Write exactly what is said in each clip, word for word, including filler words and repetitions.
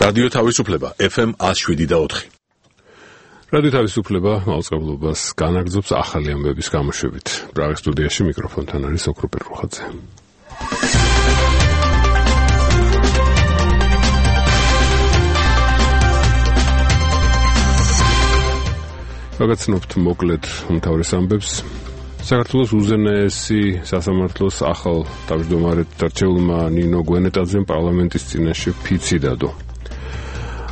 რადიო თავისუფლება ეფ ემ one oh seven point four. რადიო თავისუფლება მაუწყებლობას განაგრძობს ახალი ამბების გამოშვებით. პრაღის სტუდიაში მიკროფონთან არის ოქროპერ რუხაძე. გაგაცნობთ მოკლედ უმთავრეს ამბებს. საქართველოს უზენაესი სასამართლოს ახალ თავმჯდომარედ დარჩეულმა ნინო გვენეტაძემ პარლამენტის წინაშე ფიცი დადო.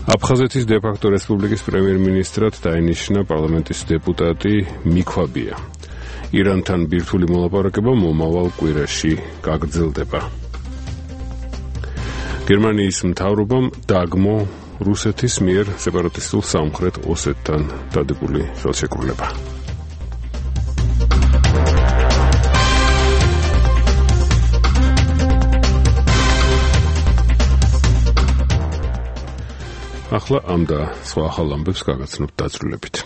აფხაზეთის დე-ფაქტო რესპუბლიკის პრემიერ-მინისტრად დაინიშნა პარლამენტის დეპუტატი მიქვაბია. ირანთან ბირთვული მოლაპარაკება მომავალ კვირაში გაგრძელდება. გერმანიის მთავრობამ დაგმო რუსეთის მიერ სეპარატისტულ სამხრეთ ოსეთთან დადებული ხელშეკრულება. ახლა ამ და სხვა ახალ ამბებს გაგაცნობთ დაწვრილებით.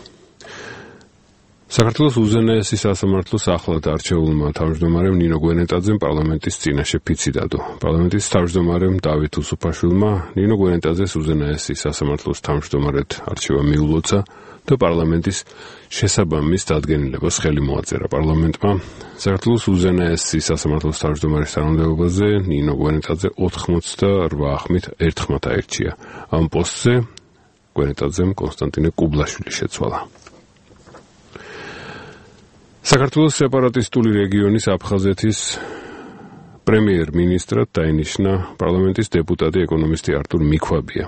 საქართველოს უზენაესი სასამართლოს ახლად არჩეულმა თავმჯდომარემ ნინო გვენეტაძემ პარლამენტის წინაშე ფიცი დადო. პარლამენტის თავმჯდომარემ დავით უსუფაშვილმა ნინო გვენეტაძეს უზენაესი სასამართლოს თავმჯდომარედ არჩევა მიულოცა და პარლამენტის შესაბამის დადგენილებას ხელი მოაწერა პარლამენტმა. საქართველოს უზენაესი სასამართლოს თავმჯდომარის თანამდებობაზე ნინო გვენეტაძე ოთხმოცდაორ ხმით ერთხმად აირჩია. ამ პოსტზე გვენეტაძემ კონსტანტინე კუბლაშვილი შეცვალა. საქართველოს სეპარატისტული რეგიონის აფხაზეთის პრემიერ-მინისტრად დაინიშნა პარლამენტის დეპუტატი ეკონომისტი არტურ მიქვაბია.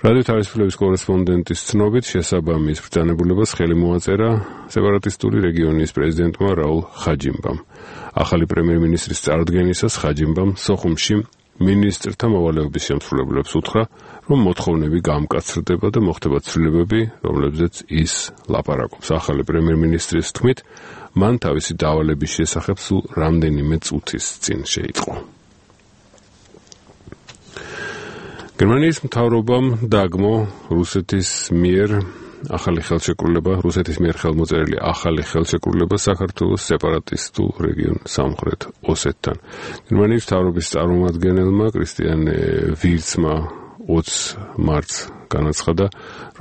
რადიო თავისუფლების კორესპონდენტის ცნობით შესაბამის ბრძანებულებას ხელი მოაწერა სეპარატისტული რეგიონის პრეზიდენტმა რაულ ხაჯიმბამ. ახალი პრემიერ-მინისტრის წარდგენისას ხაჯიმბამ სოხუმში მინისტრთა მოვალეობის შემსრულებლებს უთხრა, რომ მოთხოვნები გამკაცრდება და მოხდება ცვლილებები, რომლებზეც ის ლაპარაკობს. ახალი პრემიერ-მინისტრის თქმით, მან თავისი დავალების შესახებ სულ რამდენიმე წუთის წინ შეიტყო. გერმანიის მთავრობამ დაგმო რუსეთის მიერ ახალი ხელშეკრულება, რუსეთის მიერ ხელმოწერილი ახალი ხელშეკრულება საქართველოს სეპარატისტულ რეგიონ სამხრეთ ოსეთთან. გერმანიის მთავრობის წარმომადგენელმა კრისტიან ვირცმა ოცი მარტს განაცხადა,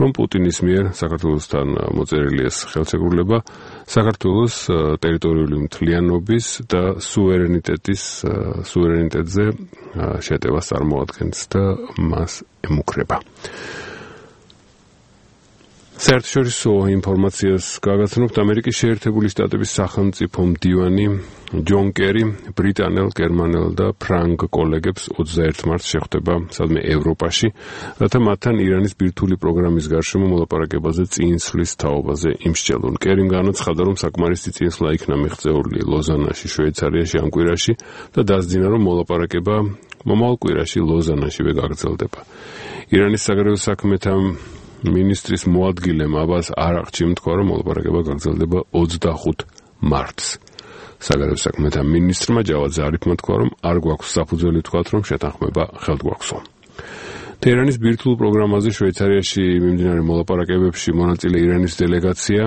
რომ პუტინის მიერ საქართველოსთან მოწერილი ეს ხელშეკრულება საქართველოს ტერიტორიული მთლიანობის და სუვერენიტეტის სუვერენიტეტზე შეტევას წარმოადგენს და მას ემუქრება. საერთაშორისო ინფორმაციას გაგაცნობთ. ამერიკის შეერთებული შტატების სახელმწიფო მდივანი ჯონ კერი ბრიტანელ, გერმანელ და ფრანგ კოლეგებს ოცდაერთ მარტს შეხვდება სადმე ევროპაში, რათა მათთან ირანის ბირთვული პროგრამის გარშემო მოლაპარაკებაზე წინსვლის თაობაზე იმსჯელონ. კერიმ განაცხადა, რომ საკმარისი წინსვლა იქნა მიღწეული ლოზანაში, შვეიცარიაში ამ კვირაში და დასძინა, რომ მოლაპარაკება მომავალ კვირაში ლოზანაშივე გაგრძელდება. ირანის საგარეო საქმეთა მინისტრის მოადგილემ აბას არაღჩიმ თქვა, რომ მოლაპარაკება გაგრძელდება ოცდახუთ მარტს. საგარეო საქმეთა მინისტრმა ჯავად ზარიფმა თქვა, რომ არ გვაქვს საფუძველი თქვათ, რომ შეთანხმება ხელდგაგვსო. თეირანის ბირთვულ პროგრამაზე შვეიცარიაში მიმდინარე მოლაპარაკებებში მონაწილე ირანის დელეგაცია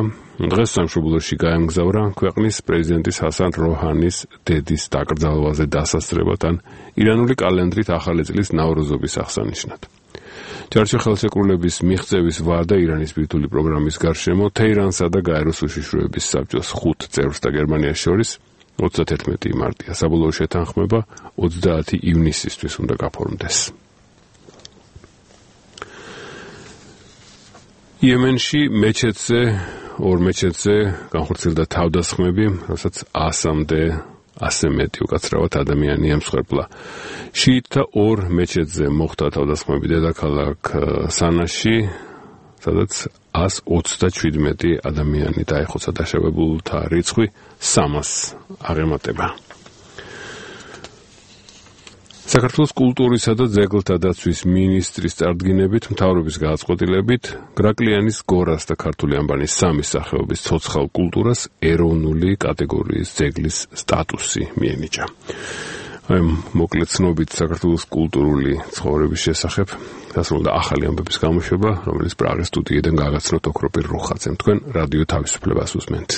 დღეს სამშობლოში გაემგზავრა ქვეყნის პრეზიდენტის ჰასან როჰანის დედის დაკრძალვაზე დასასწრებად, ირანული კალენდრით ახალი წლის ნავროზობის აღსანიშნად. ჯარში ხელშეკრულების მიღწევის ვადა ირანის ბირთვული პროგრამის გარშემო თეირანსა და გაეროს უშიშროების საბჭოს ხუთ წევრს და გერმანიას შორის ოცდათერთმეტი მარტია. საბოლოო შეთანხმება ოცდაათი ივნისისთვის უნდა გაფორმდეს. იემენში მეჩეთზე ორ მეჩეთზე განხორციელდა თავდასხმები, რასაც ასამდე ასე მეტი უკაცრავად ადამიანი ემსხვერპლა. შიიტთა ორ მეჩეთზე მოხდა თავდასხმები დედაქალაქ სანაში, სადაც ას ოცდაჩვიდმეტი ადამიანი დაეხოცა. დაშავებულთა რიცხვი სამას აღემატება. საქართველოს კულტურისა და ძეგლთა დაცვის მინისტრის წარდგინებით, მთავრობის გადაწყვეტილებით, გრაკლიანის გორას და ქართული ანბანის სამი სახეობის ცოცხალ კულტურას ეროვნული კატეგორიის ძეგლის სტატუსი მიენიჭა. აი მოკლედ ცნობით საქართველოს კულტურული ცხოვრების შესახებ დასრულდა ახალი ამბების გამოშვება, რომელიც პრაღის სტუდიიდან გაგაცნობთ ოქროპერ რუხაძემ. თქვენ რადიო თავისუფლებას უსმენთ.